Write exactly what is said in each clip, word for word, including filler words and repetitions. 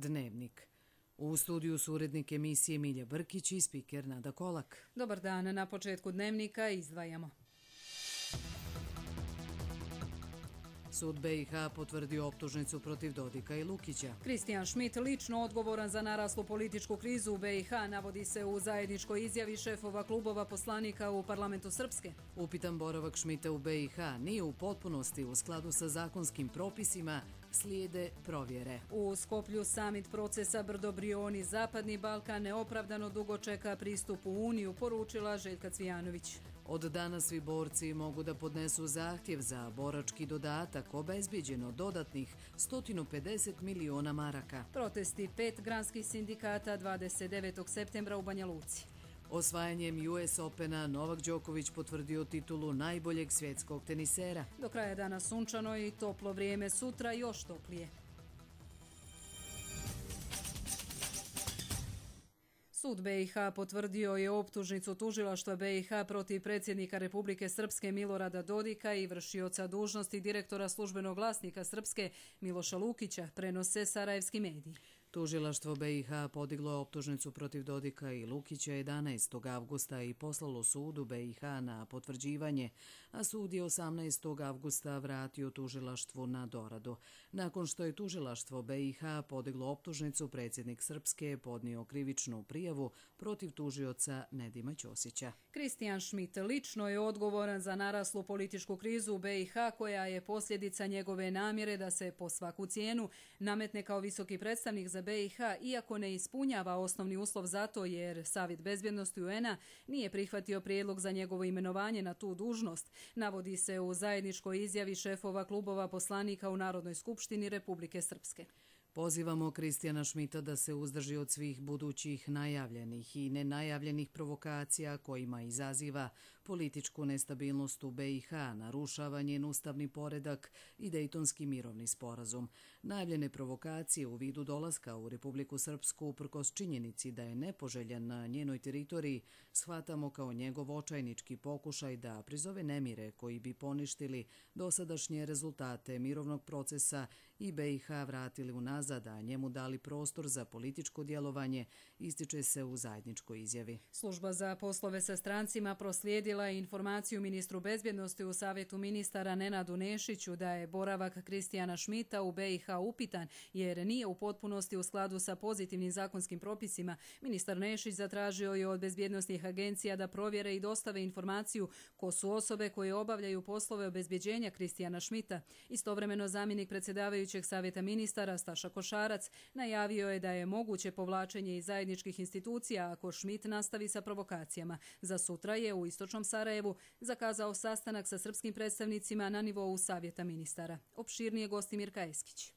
Dnevnik. U studiju su urednik emisije Milja Brkić i spiker Nada Kolak. Dobar dan, na početku Dnevnika izdvajamo. Sud B i H potvrdio optužnicu protiv Dodika i Lukića. Kristijan Schmidt lično odgovoran za naraslu političku krizu u B i H, navodi se u zajedničkoj izjavi šefova klubova poslanika u parlamentu Srpske. Upitan boravak Schmidta u B i H nije u potpunosti u skladu sa zakonskim propisima, slijede provjere. U Skoplju samit procesa Brdo-Brioni Zapadni Balkan neopravdano dugo čeka pristup u Uniju, poručila Željka Cvijanović. Od danas svi borci mogu da podnesu zahtjev za borački dodatak, obezbijeđeno dodatnih sto pedeset miliona maraka. Protesti pet granskih sindikata dvadeset devetog septembra u Banja Luci. Osvajanjem U S Opena Novak Đoković potvrdio titulu najboljeg svjetskog tenisera. Do kraja dana sunčano i toplo vrijeme, sutra još toplije. Sud B i H potvrdio je optužnicu tužilaštva B i H protiv predsjednika Republike Srpske Milorada Dodika i vršioca dužnosti direktora službenog glasnika Srpske Miloša Lukića, prenose sarajevski mediji. Tužilaštvo B i H podiglo je optužnicu protiv Dodika i Lukića jedanaestog avgusta i poslalo sudu B i H na potvrđivanje, a sud je osamnaestog avgusta vratio tužilaštvu na doradu. Nakon što je tužilaštvo B i H podiglo optužnicu, predsjednik Srpske je podnio krivičnu prijavu protiv tužioca Nedima Ćosića. Kristijan Schmidt lično je odgovoran za naraslu političku krizu u B i H, koja je posljedica njegove namjere da se po svaku cijenu nametne kao visoki predstavnik za B i H, iako ne ispunjava osnovni uslov za to, jer Savjet bezbjednosti U N-a nije prihvatio prijedlog za njegovo imenovanje na tu dužnost, navodi se u zajedničkoj izjavi šefova klubova poslanika u Narodnoj skupštini Republike Srpske. Pozivamo Kristijana Schmidta da se uzdrži od svih budućih najavljenih i nenajavljenih provokacija kojima izaziva političku nestabilnost u B i H, narušava njen ustavni poredak i Dejtonski mirovni sporazum. Najavljene provokacije u vidu dolaska u Republiku Srpsku uprkos činjenici da je nepoželjan na njenoj teritoriji shvatamo kao njegov očajnički pokušaj da prizove nemire koji bi poništili dosadašnje rezultate mirovnog procesa i B i H vratili u nazad, da njemu dali prostor za političko djelovanje, ističe se u zajedničkoj izjavi. Služba za poslove sa strancima proslijedila je informaciju ministru bezbjednosti u Savjetu ministara Nenadu Nešiću da je boravak Kristijana Schmidta u B i H upitan, jer nije u potpunosti u skladu sa pozitivnim zakonskim propisima. Ministar Nešić zatražio je od bezbjednosnih agencija da provjere i dostave informaciju ko su osobe koje obavljaju poslove obezbjeđenja Kristijana Schmidta. Istovremeno zamjenik predsjedavajućeg Savjeta ministara Staša Košarac najavio je da je moguće povlačenje iz zajedničkih institucija ako Schmidt nastavi sa provokacijama. Za sutra je u istočnom Sarajevu zakazao sastanak sa srpskim predstavnicima na nivou Savjeta ministara. Opširnije Gostimir Kajeskić.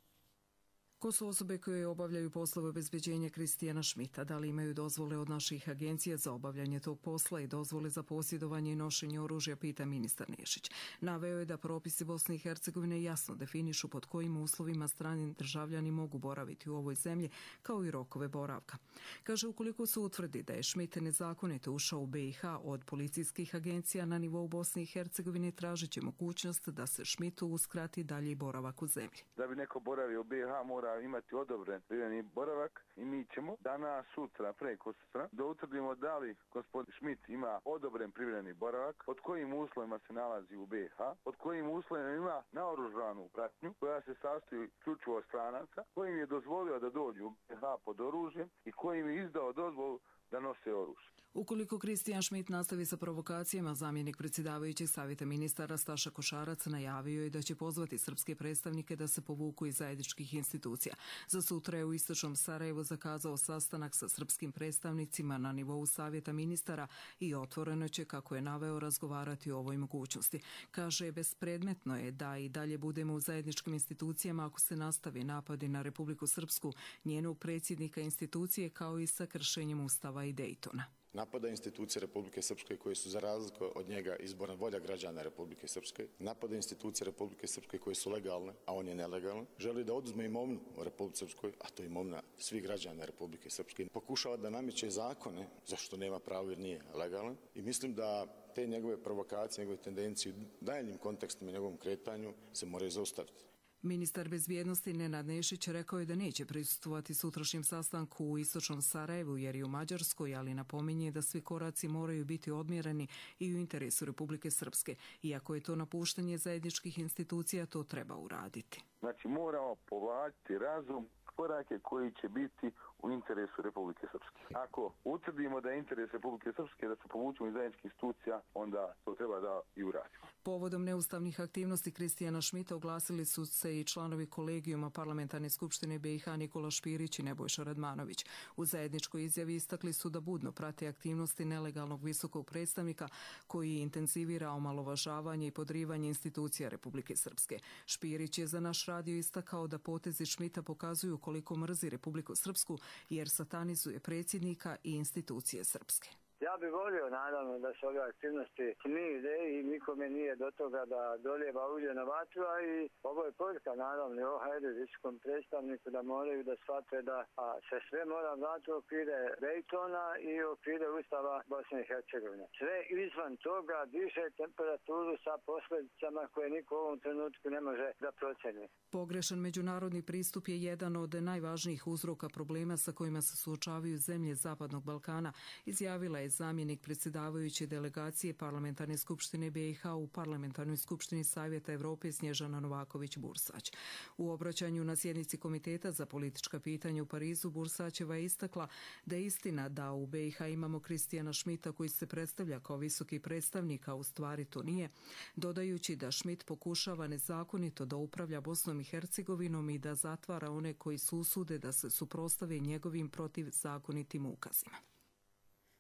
Ko su osobe koje obavljaju poslove obezbeđenja Kristijana Schmidta? Da li imaju dozvole od naših agencija za obavljanje tog posla i dozvole za posjedovanje i nošenje oružja, pita ministar Nešić. Naveo je da propisi Bosne i Hercegovine jasno definišu pod kojim uslovima strani državljani mogu boraviti u ovoj zemlji, kao i rokove boravka. Kaže, ukoliko se utvrdi da je Schmidt nezakonito ušao u B i H od policijskih agencija na nivou Bosne i Hercegovine, tražit će mogućnost da se Schmidtu uskrati dalji boravak u zemlji. Da bi neko boravio u B i H mora imati odobren privremeni boravak i mi ćemo danas, sutra, preko sutra da utvrdimo da li gospodin Schmidt ima odobren privremeni boravak, pod kojim uslovima se nalazi u B i H, pod kojim uslovima ima naoružanu pratnju koja se sastoji isključivo od stranaca, kojim je dozvolio da dođu u B i H pod oružjem i kojim je izdao dozvolu da nose oružje. Ukoliko Kristijan Schmidt nastavi sa provokacijama, zamjenik predsjedavajućeg Savjeta ministara Staša Košarac najavio je da će pozvati srpske predstavnike da se povuku iz zajedničkih institucija. Za sutra je u istočnom Sarajevu zakazao sastanak sa srpskim predstavnicima na nivou Savjeta ministara i otvoreno će, kako je naveo, razgovarati o ovoj mogućnosti. Kaže, bespredmetno je da i dalje budemo u zajedničkim institucijama ako se nastavi napadi na Republiku Srpsku, njenog predsjednika institucije, kao i sa kršenjem Ustava i Dejtona. Napada institucije Republike Srpske koje su za razliku od njega izborna volja građana Republike Srpske, napada institucije Republike Srpske koje su legalne, a on je nelegalan, želi da oduzme imovinu u Republike Srpskoj, a to je imovina svih građana Republike Srpske, pokušava da nameće zakone zašto nema pravo jer nije legalan i mislim da te njegove provokacije, njegove tendencije u daljnjim kontekstima i njegovom kretanju se moraju zaustaviti. Ministar bezbjednosti Nenad Nešić rekao je da neće prisustvovati sutrašnjem sastanku u istočnom Sarajevu jer je u Mađarskoj, ali napominje da svi koraci moraju biti odmjereni i u interesu Republike Srpske. Iako je to napuštanje zajedničkih institucija, to treba uraditi. Znači moramo povlačiti razum, korake koji će biti u interesu Republike Srpske. Ako utvrdimo da je interes Republike Srpske da se povučemo iz zajedničkih institucija, onda to treba da i uradimo. Povodom neustavnih aktivnosti Kristijana Šmita oglasili su se i članovi kolegijuma Parlamentarne skupštine B i H Nikola Špirić i Nebojša Radmanović. U zajedničkoj izjavi istakli su da budno prate aktivnosti nelegalnog visokog predstavnika koji intenzivira omalovažavanje i podrivanje institucija Republike Srpske. Špirić je za naš radio istakao da potezi Šmita pokazuju koliko mrzi Republiku Srpsku jer satanizuje predsjednika i institucije srpske. Ja bih volio, naravno, da se ove aktivnosti smire i nikome nije do toga da dolijeva ulje na vatru, a i ovo je poruka, naravno, i O H R-u, visokom predstavniku, da moraju da shvate da a, se sve mora vratiti u okvire Daytona i u okvire Ustava Bosne i Hercegovine. Sve izvan toga diže temperaturu sa posljedicama koje niko u ovom trenutku ne može da proceni. Pogrešan međunarodni pristup je jedan od najvažnijih uzroka problema sa kojima se suočavaju zemlje Zapadnog Balkana, izjavila je zamjenik predsjedavajuće delegacije Parlamentarne skupštine B i H u Parlamentarnoj skupštini Savjeta Evrope Snježana Novaković-Bursać. U obraćanju na sjednici Komiteta za politička pitanja u Parizu Bursaćeva je istakla da je istina da u B i H imamo Kristijana Šmita koji se predstavlja kao visoki predstavnik, a u stvari to nije, dodajući da Šmit pokušava nezakonito da upravlja Bosnom i Hercegovinom i da zatvara one koji se usude da se suprotstave njegovim protivzakonitim ukazima.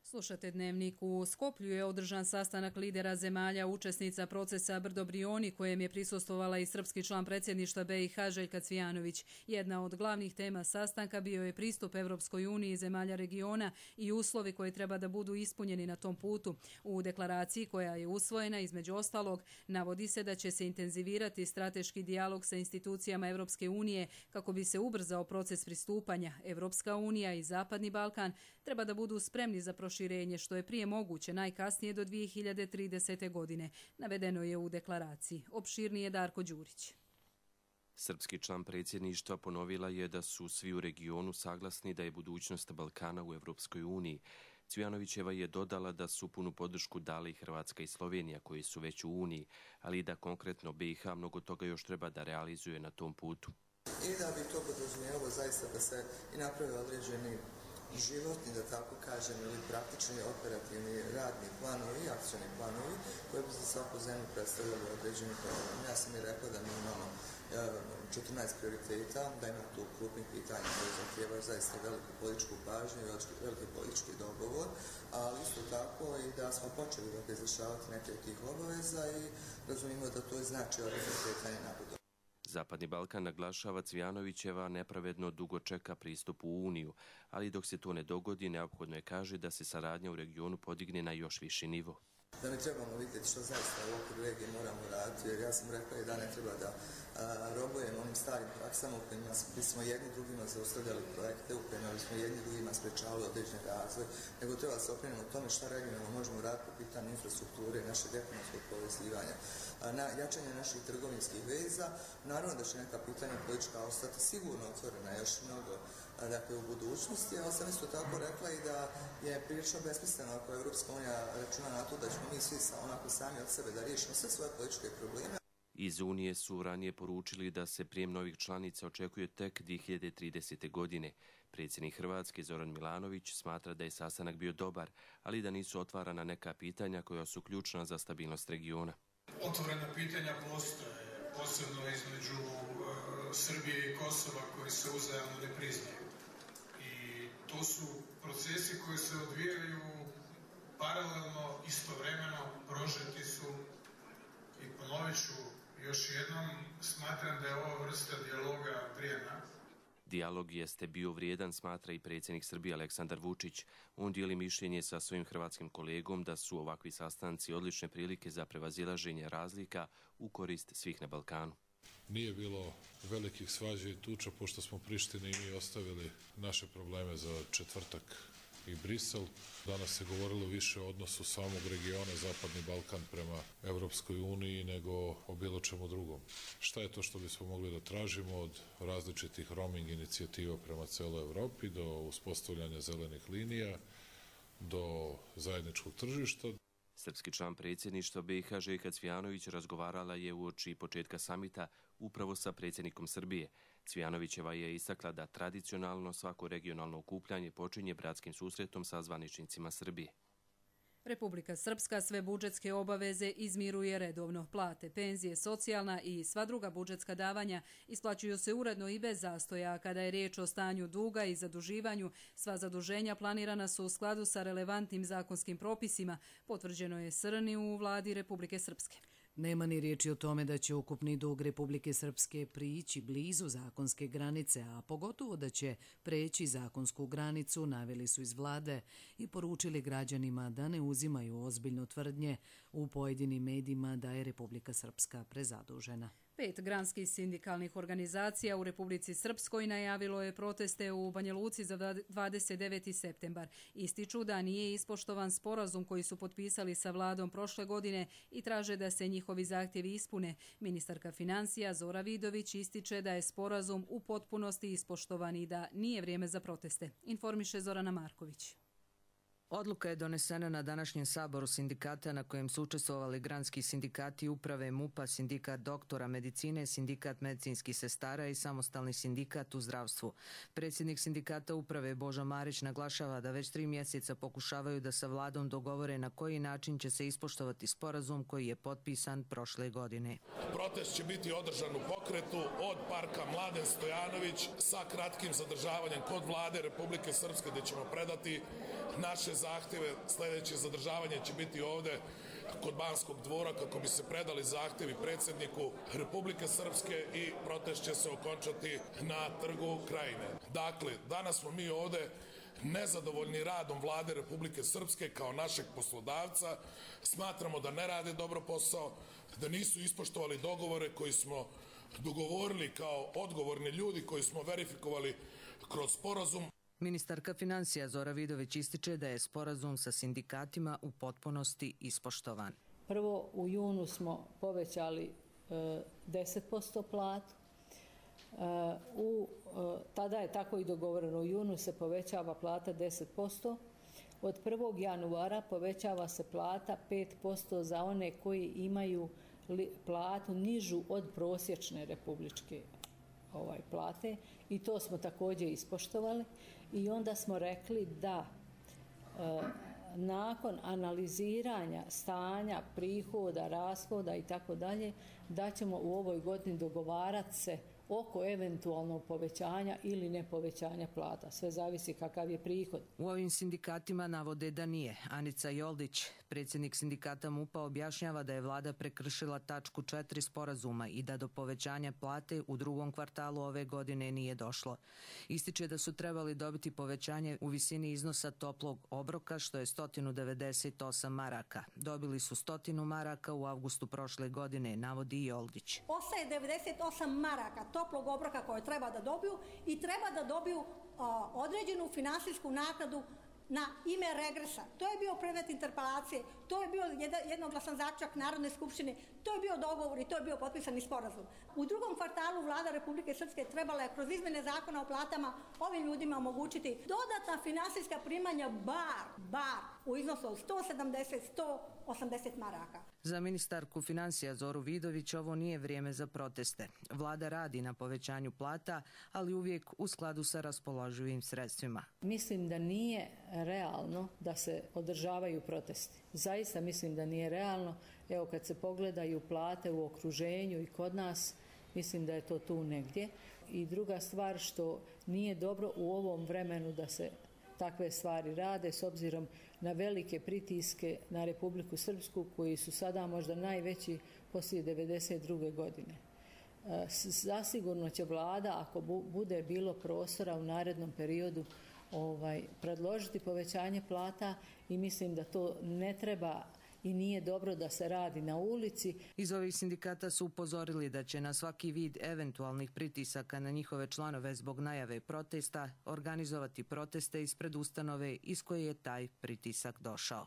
Slušate Dnevnik. U Skoplju je održan sastanak lidera zemalja učesnica procesa Brdo Brioni, kojem je prisustvovala i srpski član predsjedništva B i H Željka Cvijanović. Jedna od glavnih tema sastanka bio je pristup Evropskoj uniji zemalja regiona i uslovi koji treba da budu ispunjeni na tom putu. U deklaraciji koja je usvojena, između ostalog, navodi se da će se intenzivirati strateški dijalog sa institucijama Evropske unije kako bi se ubrzao proces pristupanja. Evropska unija i Zapadni Balkan treba da budu spremni za proširenje što je prije moguće, najkasnije do dvije hiljade tridesete. godine. Navedeno je u deklaraciji. Opširnije Darko Đurić. Srpski član predsjedništva ponovila je da su svi u regionu saglasni da je budućnost Balkana u Evropskoj uniji. Cvijanovićeva je dodala da su punu podršku dali Hrvatska i Slovenija koji su već u Uniji, ali da konkretno B i H mnogo toga još treba da realizuje na tom putu. I da bi to podrazumijevalo zaista da se i napravi određeni životni, da tako kažem, ili praktični operativni radni planovi i akcioni planovi koji bi za svaku zemlju predstavljali određeni program. Ja sam i rekao da mi imamo četrnaest prioriteta, da ima tu krupnih pitanja koji zahtijevaju zaista veliku političku pažnju i veliki politički dogovor, ali isto tako i da smo počeli da izvršavati neke od tih obaveza i razumijemo da to znači određeno kretanje na budu. Zapadni Balkan, naglašava Cvijanovićeva, nepravedno dugo čeka pristup u Uniju, ali dok se to ne dogodi, neophodno je, kaže, da se saradnja u regionu podigne na još viši nivo. Da mi trebamo vidjeti što zaista u okviru regije moramo raditi, jer ja sam rekao i da ne treba da a, robujemo onim starim praksama u kojima bismo jedni drugima zaustavljali projekte, u kojima bismo jedni drugima sprečavali određen razvoj, nego treba da se okrenemo o tome šta regionalno možemo raditi po pitanju infrastrukture i našeg ekonomskog povezivanja, a, na jačanje naših trgovinskih veza. Naravno da će neka pitanja politička ostati sigurno otvorena još mnogo dakle, u budućnosti, ali sam isto tako rekla i da je prilično besmisleno ako Evropska unija računa na to da ćemo mi svi onako sami od sebe da riješimo sve svoje političke probleme. Iz Unije su ranije poručili da se prijem novih članica očekuje tek dvije hiljade tridesete. godine. Predsjednik Hrvatske Zoran Milanović smatra da je sastanak bio dobar, ali da nisu otvarana neka pitanja koja su ključna za stabilnost regiona. Otvorena pitanja postoje, posebno između uh, Srbije i Kosova koji se uzajamno ne priznaju. I to su procesi koji se odvijaju paralelno, istovremeno, prožeti su i ponovit ću još jednom, smatram da je ova vrsta dijaloga vrijedna. Dijalog jeste bio vrijedan, smatra i predsjednik Srbije Aleksandar Vučić. On dijeli mišljenje sa svojim hrvatskim kolegom da su ovakvi sastanci odlične prilike za prevazilaženje razlika u korist svih na Balkanu. Nije bilo velikih svađa i tuča, pošto smo Prištini i mi ostavili naše probleme za četvrtak i Brisel. Danas se govorilo više o odnosu samog regiona Zapadni Balkan prema Evropskoj uniji nego o bilo čemu drugom. Šta je to što bismo mogli da tražimo od različitih roaming inicijativa prema celoj Evropi do uspostavljanja zelenih linija, do zajedničkog tržišta? Srpski član predsjedništva B i H Željka Cvijanović razgovarala je uoči početka samita upravo sa predsjednikom Srbije. Cvijanovićeva je istakla da tradicionalno svako regionalno okupljanje počinje bratskim susretom sa zvaničnicima Srbije. Republika Srpska sve budžetske obaveze izmiruje redovno. Plate, penzije, socijalna i sva druga budžetska davanja isplaćuju se uredno i bez zastoja. Kada je riječ o stanju duga i zaduživanju, sva zaduženja planirana su u skladu sa relevantnim zakonskim propisima, potvrđeno je Srni u vladi Republike Srpske. Nema ni riječi o tome da će ukupni dug Republike Srpske prići blizu zakonske granice, a pogotovo da će preći zakonsku granicu, naveli su iz vlade i poručili građanima da ne uzimaju ozbiljno tvrdnje u pojedinim medijima da je Republika Srpska prezadužena. Pet granskih sindikalnih organizacija u Republici Srpskoj najavilo je proteste u Banja Luci za dvadeset deveti septembar. Ističu da nije ispoštovan sporazum koji su potpisali sa vladom prošle godine i traže da se njihovi zahtjevi ispune. Ministarka financija Zora Vidović ističe da je sporazum u potpunosti ispoštovan i da nije vrijeme za proteste. Informiše Zorana Marković. Odluka je donesena na današnjem saboru sindikata na kojem su učestvovali granski sindikati uprave MUP-a, sindikat doktora medicine, sindikat medicinskih sestara i samostalni sindikat u zdravstvu. Predsjednik sindikata uprave Božo Marić naglašava da već tri mjeseca pokušavaju da sa vladom dogovore na koji način će se ispoštovati sporazum koji je potpisan prošle godine. Protest će biti održan u pokretu od parka Mladen Stojanović sa kratkim zadržavanjem kod vlade Republike Srpske gdje ćemo predati naše zahtjeve. Sljedeće zadržavanje će biti ovdje kod Banskog dvora kako bi se predali zahtjevi predsjedniku Republike Srpske i protest će se okončati na Trgu Krajine. Dakle, danas smo mi ovdje nezadovoljni radom vlade Republike Srpske kao našeg poslodavca. Smatramo da ne rade dobro posao, da nisu ispoštovali dogovore koji smo dogovorili kao odgovorni ljudi koji smo verifikovali kroz sporazum. Ministarka financija Zora Vidović ističe da je sporazum sa sindikatima u potpunosti ispoštovan. Prvo, u junu smo povećali e, deset posto platu. E, u, e, tada je tako i dogovoreno. U junu se povećava plata deset posto. Od prvog januara povećava se plata pet posto za one koji imaju li, platu nižu od prosječne republičke ovaj, plate i to smo također ispoštovali. I onda smo rekli da e, nakon analiziranja stanja, prihoda, rashoda i tako dalje, da ćemo u ovoj godini dogovarati se oko eventualnog povećanja ili ne povećanja plata. Sve zavisi kakav je prihod. U ovim sindikatima navode da nije. Anica Joldić, predsjednik sindikata MUP-a, objašnjava da je vlada prekršila tačku četiri sporazuma i da do povećanja plate u drugom kvartalu ove godine nije došlo. Ističe da su trebali dobiti povećanje u visini iznosa toplog obroka, što je sto devedeset osam maraka. Dobili su sto maraka u avgustu prošle godine, navodi Joldić. Ostaje devedeset osam maraka toplog obroka koje treba da dobiju i treba da dobiju a, određenu finansijsku naknadu na ime regresa. To je bio predmet interpelacije, to je bio jednoglasan zaključak Narodne skupštine, to je bio dogovor i to je bio potpisani sporazum. U drugom kvartalu vlada Republike Srpske trebala je kroz izmene zakona o platama ovim ljudima omogućiti dodatna finansijska primanja bar, bar u iznosu od sto sedamdeset do sto osamdeset maraka. Za ministarku financija Zoru Vidović ovo nije vrijeme za proteste. Vlada radi na povećanju plata, ali uvijek u skladu sa raspoloživim sredstvima. Mislim da nije realno da se održavaju protesti. Zaista mislim da nije realno. Evo kad se pogledaju plate u okruženju i kod nas, mislim da je to tu negdje. I druga stvar što nije dobro u ovom vremenu da se takve stvari rade s obzirom na velike pritiske na Republiku Srpsku koji su sada možda najveći poslije devedeset druge godine. Zasigurno će vlada, ako bude bilo prostora u narednom periodu, ovaj, predložiti povećanje plata i mislim da to ne treba i nije dobro da se radi na ulici. Iz ovih sindikata su upozorili da će na svaki vid eventualnih pritisaka na njihove članove zbog najave protesta organizovati proteste ispred ustanove iz koje je taj pritisak došao.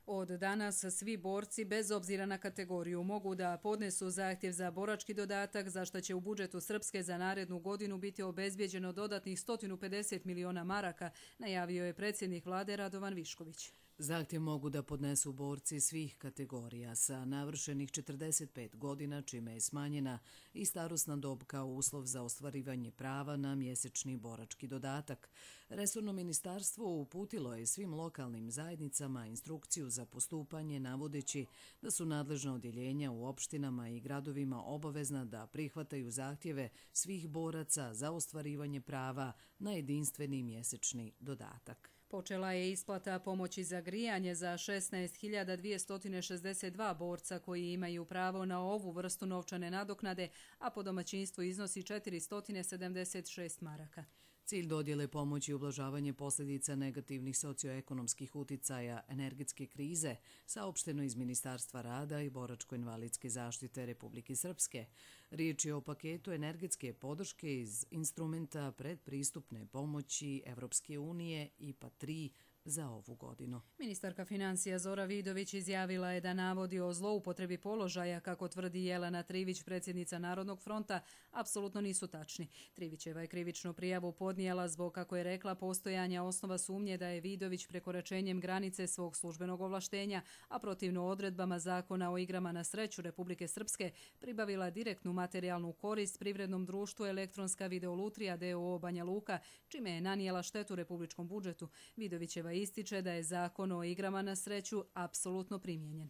Od danas svi borci, bez obzira na kategoriju, mogu da podnesu zahtjev za borački dodatak, za što će u budžetu Srpske za narednu godinu biti obezbijeđeno dodatnih sto pedeset miliona maraka, najavio je predsjednik vlade Radovan Višković. Zahtjev mogu da podnesu borci svih kategorija sa navršenih četrdeset pet godina, čime je smanjena i starosna dob kao uslov za ostvarivanje prava na mjesečni borački dodatak. Resorno ministarstvo uputilo je svim lokalnim zajednicama instrukciju za postupanje, navodeći da su nadležna odjeljenja u opštinama i gradovima obavezna da prihvataju zahtjeve svih boraca za ostvarivanje prava na jedinstveni mjesečni dodatak. Počela je isplata pomoći za grijanje za šesnaest hiljada dvjesto šezdeset dva borca koji imaju pravo na ovu vrstu novčane nadoknade, a po domaćinstvu iznosi četiristo sedamdeset šest maraka. Cilj dodjele pomoći je ublažavanje posljedica negativnih socioekonomskih uticaja energetske krize, saopšteno iz Ministarstva rada i boračko-invalidske zaštite Republike Srpske. Riječ je o paketu energetske podrške iz instrumenta predpristupne pomoći Evropske unije I P A tri za ovu godinu. Ministarka financija Zora Vidović izjavila je da navodi o zloupotrebi položaja, kako tvrdi Jelena Trivić, predsjednica Narodnog fronta, apsolutno nisu tačni. Trivićeva je krivičnu prijavu podnijela zbog, kako je rekla, postojanja osnova sumnje da je Vidović prekoračenjem granice svog službenog ovlaštenja, a protivno odredbama Zakona o igrama na sreću Republike Srpske, pribavila direktnu materijalnu korist privrednom društvu Elektronska videolutrija d o o Banja Luka, čime je nanijela štetu republičkom budžetu. Vidovićeva ističe da je Zakon o igrama na sreću apsolutno primijenjen.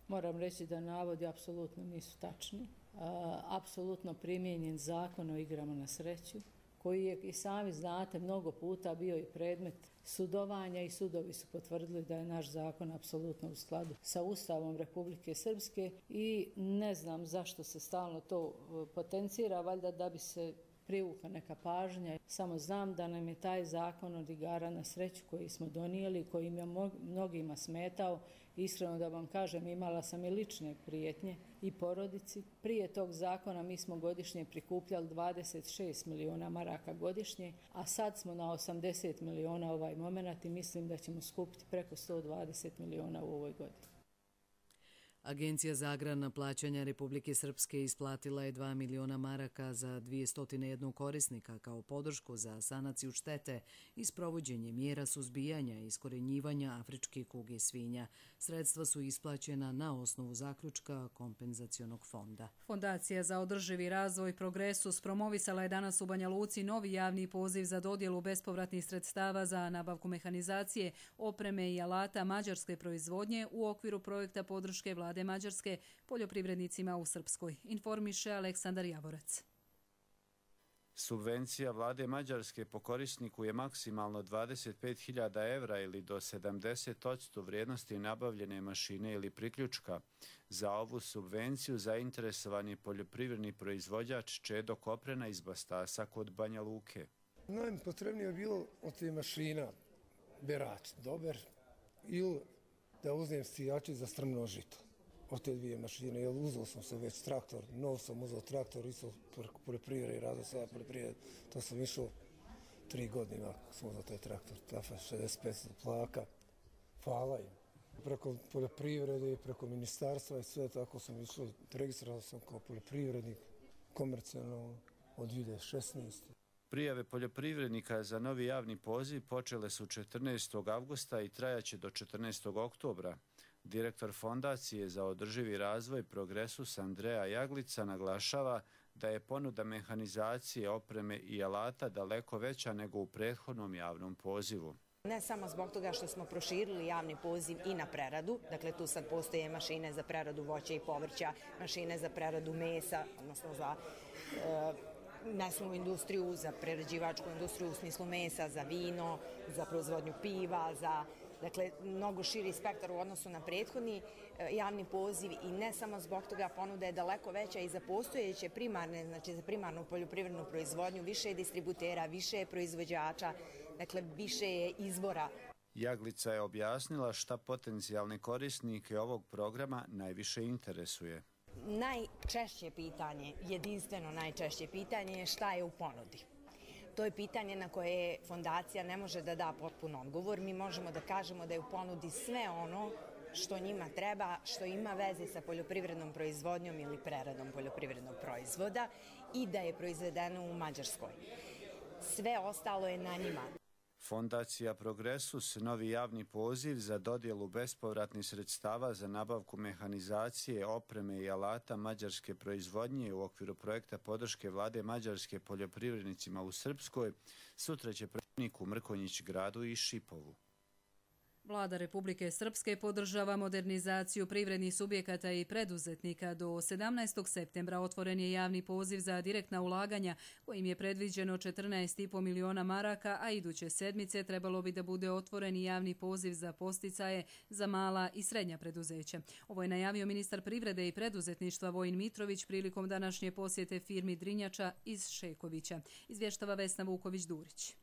Moram reći da navodi apsolutno nisu tačni. Apsolutno primijenjen Zakon o igrama na sreću, koji je, i sami znate, mnogo puta bio i predmet sudovanja i sudovi su potvrdili da je naš zakon apsolutno u skladu sa Ustavom Republike Srpske i ne znam zašto se stalno to potencira, valjda da bi se privukla neka pažnja. Samo znam da nam je taj zakon od igara na sreću koji smo donijeli, koji im je mnogima smetao. Iskreno da vam kažem, imala sam i lične prijetnje i porodici. Prije tog zakona mi smo godišnje prikupljali dvadeset šest miliona maraka godišnje, a sad smo na osamdeset miliona ovaj moment i mislim da ćemo skupiti preko sto dvadeset miliona u ovoj godini. Agencija za agrarna plaćanja Republike Srpske isplatila je dva miliona maraka za dvjesto jedan korisnika kao podršku za sanaciju štete i sprovođenje mjera suzbijanja i iskorjenjivanja afričke kuge svinja. Sredstva su isplaćena na osnovu zaključka kompenzacionog fonda. Fondacija za održivi razvoj Progresus promovisala je danas u Banja Luci novi javni poziv za dodjelu bespovratnih sredstava za nabavku mehanizacije, opreme i alata mađarske proizvodnje u okviru projekta podrške vlade Mađarske poljoprivrednicima u Srpskoj, informiše Aleksandar Javorac. Subvencija vlade Mađarske po korisniku je maksimalno dvadeset pet hiljada evra ili do sedamdeset posto vrijednosti nabavljene mašine ili priključka. Za ovu subvenciju zainteresovan je poljoprivredni proizvođač Čedo Koprena iz Bastasa kod Banja Luke. Najpotrebnije je bilo od te mašina berač, dobar, ili da uzmem sijači za strmno žito. Od te dvije mašine, jer uzeo sam se već traktor, nov sam uzeo traktor, isto poljoprivrede i razvoj sada poljoprivrede, to sam išao tri godine, sam uzeo taj traktor, tafa šezdeset pet plaka, hvala im. Preko poljoprivrede i preko ministarstva i sve tako sam išao, registrirao sam kao poljoprivrednik, komercijalno od dvije hiljade šesnaeste. Prijave poljoprivrednika za novi javni poziv počele su četrnaestog avgusta i trajaće do četrnaestog oktobra. Direktor Fondacije za održivi razvoj Progresus Andreja Jaglica naglašava da je ponuda mehanizacije, opreme i alata daleko veća nego u prethodnom javnom pozivu. Ne samo zbog toga što smo proširili javni poziv i na preradu, dakle tu sad postoje mašine za preradu voća i povrća, mašine za preradu mesa, odnosno za e, mesnu industriju, za prerađivačku industriju u smislu mesa, za vino, za proizvodnju piva, za dakle, mnogo širi spektar u odnosu na prethodni javni poziv i ne samo zbog toga ponuda je daleko veća i za postojeće primarne, znači za primarnu poljoprivrednu proizvodnju, više je distributera, više je proizvođača, dakle više je izvora. Jaglica je objasnila šta potencijalne korisnike ovog programa najviše interesuje. Najčešće pitanje, jedinstveno najčešće pitanje je šta je u ponudi. To je pitanje na koje fondacija ne može da da potpun odgovor. Mi možemo da kažemo da je u ponudi sve ono što njima treba, što ima veze sa poljoprivrednom proizvodnjom ili preradom poljoprivrednog proizvoda i da je proizvedeno u Mađarskoj. Sve ostalo je na njima. Fondacija Progresus, novi javni poziv za dodjelu bespovratnih sredstava za nabavku mehanizacije, opreme i alata mađarske proizvodnje u okviru projekta podrške vlade Mađarske poljoprivrednicima u Srpskoj, sutra će predsjednik u Mrkonjić gradu i Šipovu. Vlada Republike Srpske podržava modernizaciju privrednih subjekata i preduzetnika. Do sedamnaestog septembra otvoren je javni poziv za direktna ulaganja, kojim je predviđeno četrnaest i po miliona maraka, a iduće sedmice trebalo bi da bude otvoren i javni poziv za podsticaje za mala i srednja preduzeća. Ovo je najavio ministar privrede i preduzetništva Vojin Mitrović prilikom današnje posjete firmi Drinjača iz Šekovića. Izvještava Vesna Vuković-Durić.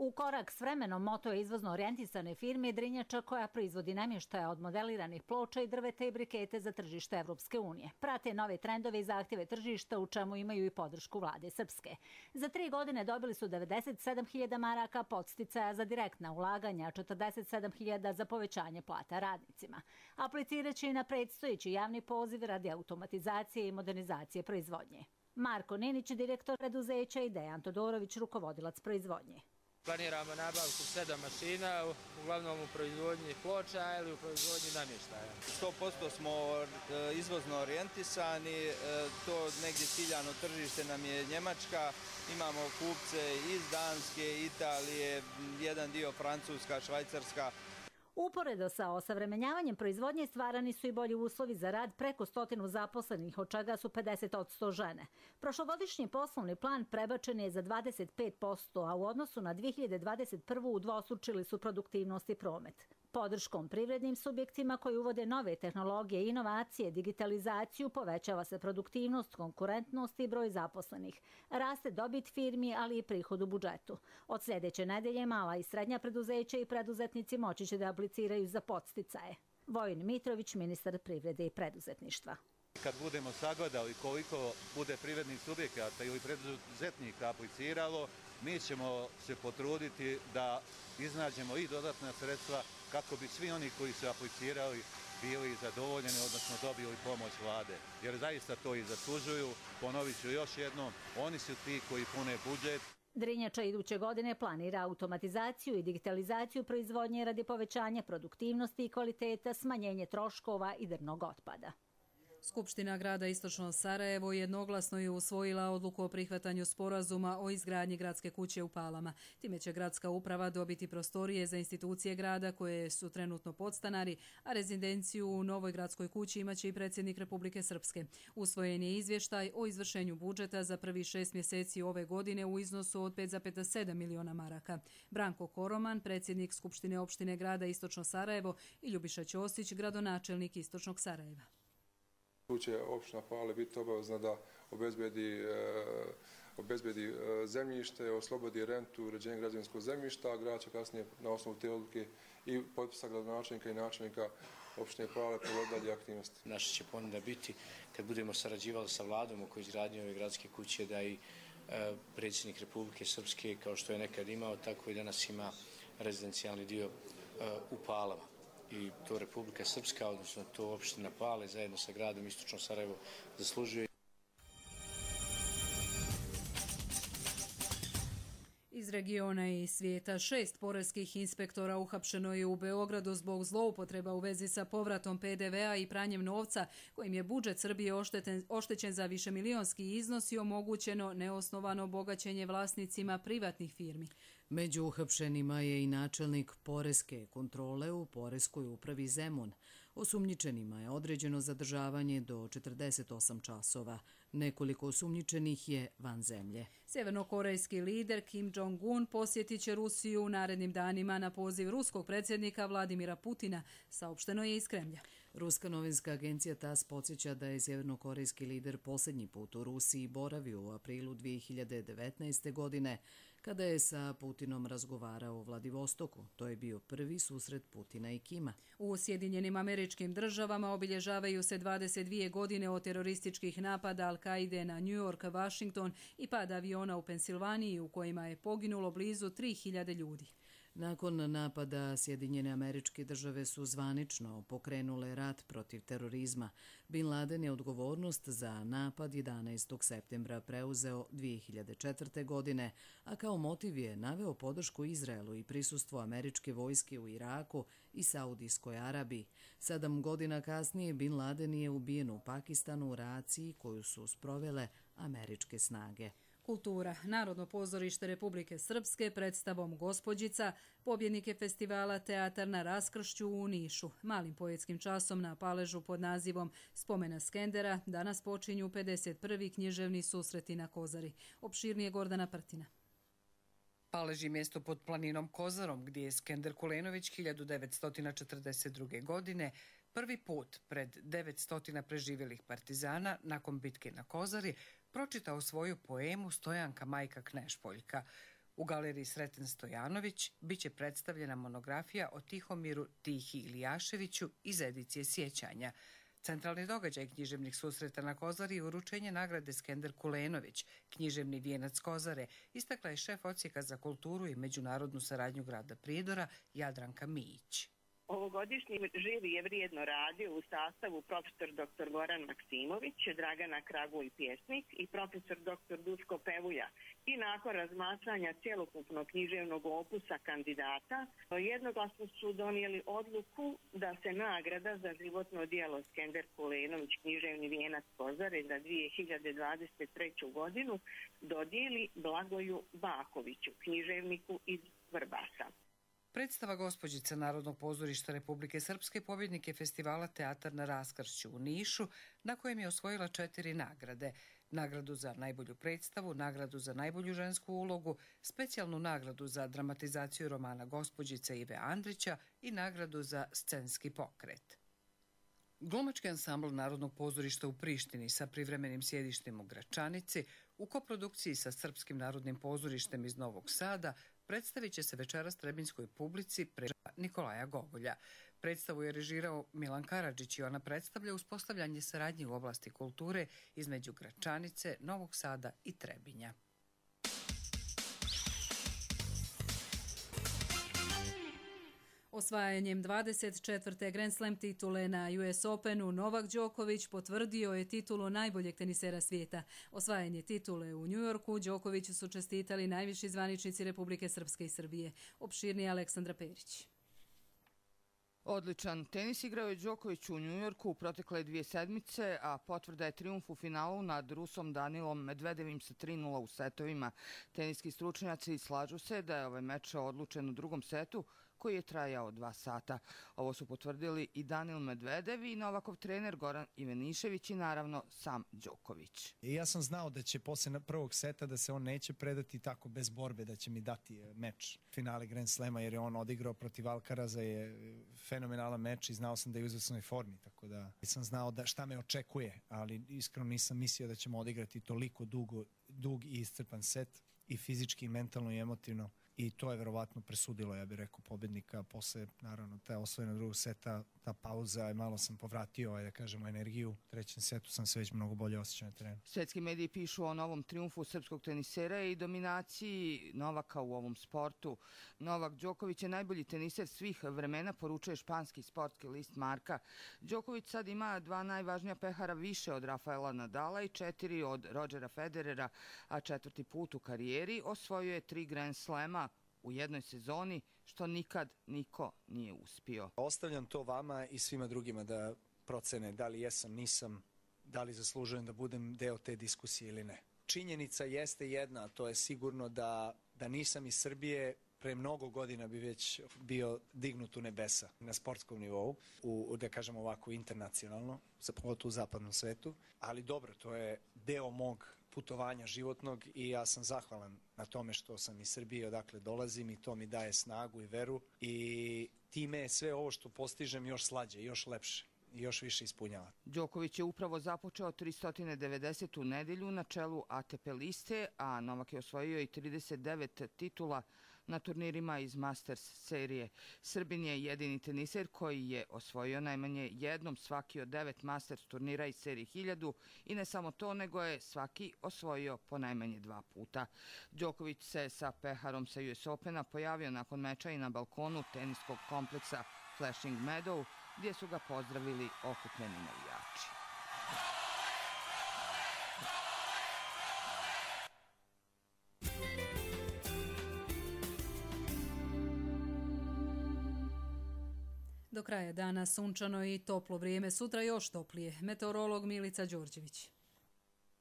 U korak s vremenom moto je izvozno orijentisane firme Drinjača koja proizvodi namještaja od modeliranih ploča i drveta i brikete za tržište Evropske unije. Prate nove trendove i zahtjeve tržišta u čemu imaju i podršku vlade Srpske. Za tri godine dobili su devedeset sedam hiljada maraka podsticaja za direktna ulaganja, četrdeset sedam hiljada za povećanje plata radnicima. Apliciraće i na predstojeći javni poziv radi automatizacije i modernizacije proizvodnje. Marko Ninić, direktor preduzeća, i Dejan Todorović, rukovodilac proizvodnje. Planiramo nabavku sedam mašina, uglavnom u proizvodnji ploča ili u proizvodnji namještaja. sto posto smo izvozno orijentisani, to negdje ciljano tržište nam je Njemačka, imamo kupce iz Danske, Italije, jedan dio Francuska, Švajcarska. Uporedo sa osavremenjavanjem proizvodnje stvarani su i bolji uslovi za rad preko stotinu zaposlenih, od čega su pedeset posto žene. Prošlogodišnji poslovni plan prebačen je za dvadeset pet posto, a u odnosu na dve hiljade dvadeset prvu udvostručili su produktivnost i promet. Podrškom privrednim subjektima koji uvode nove tehnologije i inovacije, digitalizaciju, povećava se produktivnost, konkurentnost i broj zaposlenih. Raste dobit firmi, ali i prihod u budžetu. Od sljedeće nedelje mala i srednja preduzeća i preduzetnici moći će da apliciraju za podsticaje. Vojin Mitrović, ministar privrede i preduzetništva. Kad budemo sagledali koliko bude privrednih subjekata ili preduzetnika apliciralo, mi ćemo se potruditi da iznađemo i dodatna sredstva kako bi svi oni koji su aplicirali bili zadovoljeni, odnosno dobili pomoć vlade. Jer zaista to i zaslužuju. Ponovit ću još jednom, oni su ti koji pune budžet. Drinjača iduće godine planira automatizaciju i digitalizaciju proizvodnje radi povećanja produktivnosti i kvaliteta, smanjenje troškova i drvnog otpada. Skupština grada Istočno Sarajevo jednoglasno je usvojila odluku o prihvatanju sporazuma o izgradnji gradske kuće u Palama. Time će gradska uprava dobiti prostorije za institucije grada koje su trenutno podstanari, a rezidenciju u novoj gradskoj kući imaće i predsjednik Republike Srpske. Usvojen je izvještaj o izvršenju budžeta za prvih šest mjeseci ove godine u iznosu od pet zarez sedam miliona maraka. Branko Koroman, predsjednik Skupštine opštine grada Istočno Sarajevo, i Ljubiša Ćosić, gradonačelnik Istočnog Sarajeva. Tu će opština Pale biti obavezna da obezbedi, obezbedi zemljište, oslobodi rentu, uređenje građevinskog zemljišta, a grad će kasnije na osnovu te odluke i potpisa gradonačelnika i načelnika opštine Pale provoditi aktivnosti. Naša će ponuda biti, kad budemo sarađivali sa vladom oko izgradnje ove gradske kuće, da i predsjednik Republike Srpske, kao što je nekad imao, tako i danas ima rezidencijalni dio u Palama. I to Republika Srpska, odnosno to opština Pale, zajedno sa gradom Istočno Sarajevo zaslužuje. Iz regiona i svijeta šest poreskih inspektora uhapšeno je u Beogradu zbog zloupotreba u vezi sa povratom pe de ve a i pranjem novca, kojim je budžet Srbije oštećen za višemilionski iznos i omogućeno neosnovano bogaćenje vlasnicima privatnih firmi. Među uhapšenima je i načelnik poreske kontrole u Poreskoj upravi Zemun. Osumnjičenima je određeno zadržavanje do četrdeset osam časova. Nekoliko osumnjičenih je van zemlje. Sjevernokorejski lider Kim Jong-un posjetit će Rusiju u narednim danima na poziv ruskog predsjednika Vladimira Putina, saopšteno je iz Kremlja. Ruska novinska agencija tas podsjeća da je sjevernokorejski lider posljednji put u Rusiji boravio u aprilu dvije hiljade devetnaeste. godine, kada je sa Putinom razgovarao u Vladivostoku. To je bio prvi susret Putina i Kima. U Sjedinjenim Američkim Državama obilježavaju se dvadeset dvije godine od terorističkih napada Al-Kaide na New York, Washington i pad aviona u Pensilvaniji u kojima je poginulo blizu tri hiljade ljudi. Nakon napada Sjedinjene Američke Države su zvanično pokrenule rat protiv terorizma. Bin Laden je odgovornost za napad jedanaestog septembra preuzeo dvije hiljade četvrte. godine, a kao motiv je naveo podršku Izraelu i prisustvo američke vojske u Iraku i Saudijskoj Arabiji. Sedam godina kasnije Bin Laden je ubijen u Pakistanu u raciji koju su sprovele američke snage. Kultura. Narodno pozorište Republike Srpske predstavom Gospođica, pobjednike festivala Teatar na raskršću u Nišu. Malim poetskim časom na Paležu pod nazivom Spomena Skendera danas počinju pedeset prvi književni susreti na Kozari. Opširnije Gordana Prtina. Palež je mjesto pod planinom Kozarom, gdje je Skender Kulenović hiljadu devetsto četrdeset druge. godine prvi put pred devetsto preživjelih partizana nakon bitke na Kozari pročitao svoju poemu Stojanka majka Knešpoljka. U galeriji Sreten Stojanović bit će predstavljena monografija o Tihomiru Tihi Ilijaševiću iz edicije Sjećanja. Centralni događaj književnih susreta na Kozari je uručenje nagrade Skender Kulenović, književni vijenac Kozare, istakla je šef odsjeka za kulturu i međunarodnu saradnju grada Prijedora Jadranka Mijić. Ovogodišnji žiri je vrijedno radio u sastavu profesor doktor Goran Maksimović, Dragana Kragulj pjesnik i profesor doktor Duško Pevuja. I nakon razmatranja cjelokupnog književnog opusa kandidata, jednoglasno su donijeli odluku da se nagrada za životno djelo Skender Kulenović, književni vijenac Kozare za dvije hiljade dvadeset treću. godinu dodijeli Blagoju Bakoviću, književniku iz Vrbasa. Predstava Gospođica Narodnog pozorišta Republike Srpske pobjednik je festivala Teatar na raskršću u Nišu, na kojem je osvojila četiri nagrade. Nagradu za najbolju predstavu, nagradu za najbolju žensku ulogu, specijalnu nagradu za dramatizaciju romana Gospođica Ive Andrića i nagradu za scenski pokret. Glumački ansambl Narodnog pozorišta u Prištini sa privremenim sjedištem u Gračanici u koprodukciji sa Srpskim narodnim pozorištem iz Novog Sada predstavit će se večeras trebinjskoj publici prema Nikolaja Gogolja. Predstavu je režirao Milan Karadžić i ona predstavlja uspostavljanje saradnje u oblasti kulture između Gračanice, Novog Sada i Trebinja. Osvajanjem dvadeset četvrte Grand Slam titule na U S Openu Novak Đoković potvrdio je titulu najboljeg tenisera svijeta. Osvajanje titule u New Yorku Đokoviću su čestitali najviši zvaničnici Republike Srpske i Srbije. Opširnije Aleksandra Perić. Odličan tenis igrao je Đoković u Njujorku u protekle dvije sedmice, a potvrda je trijumf u finalu nad Rusom Danilom Medvedevim sa tri nula u setovima. Teniski stručnjaci slažu se da je ovaj meč odlučen u drugom setu, koji je trajao dva sata. Ovo su potvrdili i Danil Medvedev i Novakov trener Goran Ivanišević i naravno sam Đoković. I ja sam znao da će posle prvog seta da se on neće predati tako bez borbe, da će mi dati meč finale Grand Slema, jer je on odigrao protiv Alcaraza, je fenomenalan meč i znao sam da je u izvrsnoj formi, tako da sam znao da šta me očekuje, ali iskreno nisam mislio da ćemo odigrati toliko dugo, dug i iscrpan set i fizički, i mentalno i emotivno. I to je verovatno presudilo, ja bih rekao, pobednika. Posle, naravno, ta osvojena drugog seta, ta pauza, malo sam povratio, da kažemo, energiju. U trećem setu sam se već mnogo bolje osjećao na terenu. Svetski mediji pišu o novom triumfu srpskog tenisera i dominaciji Novaka u ovom sportu. Novak Đoković je najbolji teniser svih vremena, poručuje španski sportski list Marka. Đoković sad ima dva najvažnija pehara više od Rafaela Nadala i četiri od Rodgera Federera, a četvrti put u karijeri osvojuje tri Grand Slema u jednoj sezoni, što nikad niko nije uspio. Ostavljam to vama i svima drugima da procene da li jesam, nisam, da li zaslužujem da budem deo te diskusije ili ne. Činjenica jeste jedna, to je sigurno da, da nisam iz Srbije, pre mnogo godina bi već bio dignut u nebesa na sportskom nivou, u, da kažem ovako internacionalno, pogotovo u zapadnom svetu, ali dobro, to je deo mog putovanja životnog i ja sam zahvalan na tome što sam iz Srbije, odakle dolazim, i to mi daje snagu i veru i time je sve ovo što postižem još slađe, još lepše. još više ispunjava. Đoković je upravo započeo tristo devedesetu nedelju na čelu A T P liste, a Novak je osvojio i trideset devet titula na turnirima iz Masters serije. Srbin je jedini teniser koji je osvojio najmanje jednom svaki od devet Masters turnira iz serije hiljadu i ne samo to, nego je svaki osvojio po najmanje dva puta. Đoković se sa peharom sa U S Opena pojavio nakon meča i na balkonu teniskog kompleksa Flushing Meadow, gdje su ga pozdravili okupljeni navijači. Do kraja dana sunčano i toplo vrijeme, sutra još toplije. Meteorolog Milica Đorđević.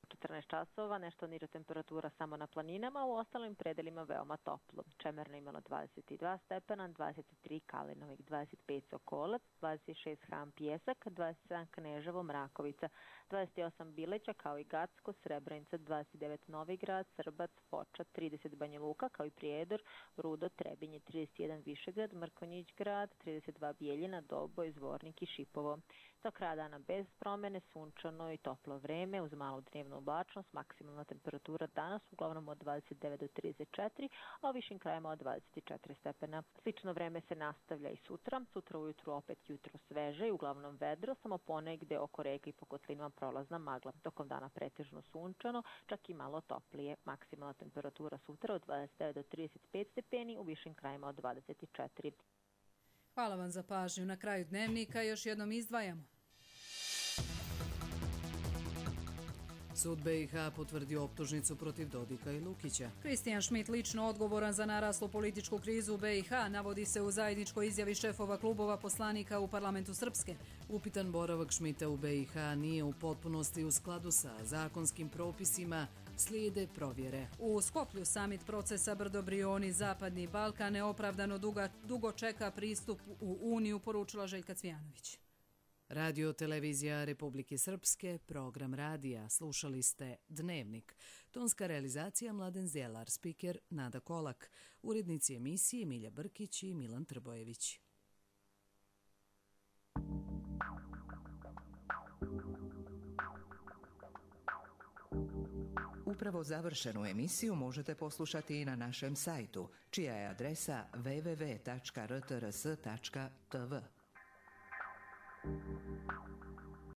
četrnaest časova, nešto niža temperatura samo na planinama, u ostalim predelima veoma toplo. Čemerno imalo dvadeset dva stepena, dvadeset tri Kalinovik, dvadeset pet Sokolac, dvadeset šest Ham Pjesak, dvadeset sedam Kneževo, Mrakovica, dvadeset osam Bileća kao i Gacko, Srebrenica, dvadeset devet Novigrad, Srbac, Foča, trideset Banja Luka kao i Prijedor, Rudo, Trebinje, trideset jedan Višegrad, Mrkonjić grad, trideset dva Bijeljina, Doboj, Zvornik i Šipovo. Do kraja dana bez promene, sunčano i toplo vreme uz malu dnevnu oblačnost, maksimalna temperatura danas uglavnom od dvadeset devet do trideset četiri, a u višim krajima od dvadeset četiri stepena. Slično vreme se nastavlja i sutra. Sutra ujutru opet jutro sveže i uglavnom vedro, samo ponegde oko reka i po kotlinama prolazna magla. Tokom dana pretežno sunčano, čak i malo toplije. Maksimalna temperatura sutra od dvadeset devet do trideset pet stepeni, u višim krajima od dvadeset četiri. Hvala vam za pažnju. Na kraju dnevnika još jednom izdvajamo. Sud B i H potvrdio optužnicu protiv Dodika i Lukića. Kristijan Šmit lično odgovoran za naraslu političku krizu u B i H, navodi se u zajedničkoj izjavi šefova klubova poslanika u parlamentu Srpske. Upitan boravak Šmita u B i H nije u potpunosti u skladu sa zakonskim propisima, slijede provjere. U Skoplju samit procesa Brdo-Brioni, Zapadni Balkan neopravdano duga, dugo čeka pristup u Uniju, poručila Željka Cvijanović. Radio televizija Republike Srpske, program radija. Slušali ste Dnevnik. Tonska realizacija Mladen Zjelar, spiker Nada Kolak, urednici emisije Milja Brkić i Milan Trbojević. Upravo završenu emisiju možete poslušati i na našem sajtu, čija je adresa w w w tačka r t r s tačka t v.